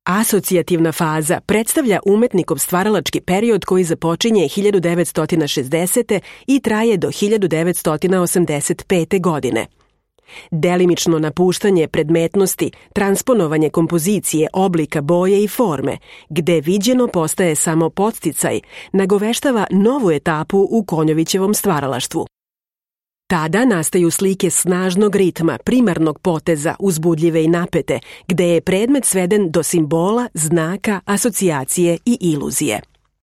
Asocijativna faza predstavlja umetnikov stvaralački period koji započinje 1960. i traje do 1985. godine. Delimično napuštanje predmetnosti, transponovanje kompozicije, oblika, boje i forme, gde viđeno postaje samo podsticaj, nagoveštava novu etapu u Konjovićevom stvaralaštvu. Tada nastaju slike snažnog ritma, primarnog poteza, uzbudljive i napete, gde je predmet sveden do simbola, znaka, asocijacije i iluzije.